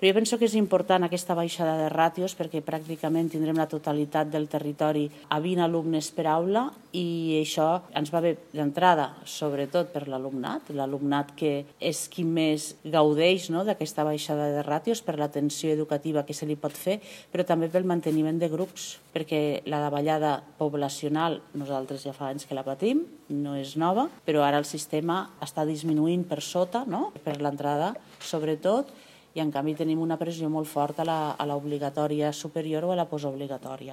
Però jo penso que és important aquesta baixada de ràtios perquè pràcticament tindrem la totalitat del territori a 20 alumnes per aula i això ens va bé d'entrada, sobretot per l'alumnat que és qui més gaudeix d'aquesta baixada de ràtios per l'atenció educativa que se li pot fer, però també pel manteniment de grups, perquè la davallada poblacional nosaltres ja fa anys que la patim, no és nova, però ara el sistema està disminuint per sota, per l'entrada sobretot, i en canvi tenim una pressió molt forta a l'obligatòria superior o a la postobligatòria.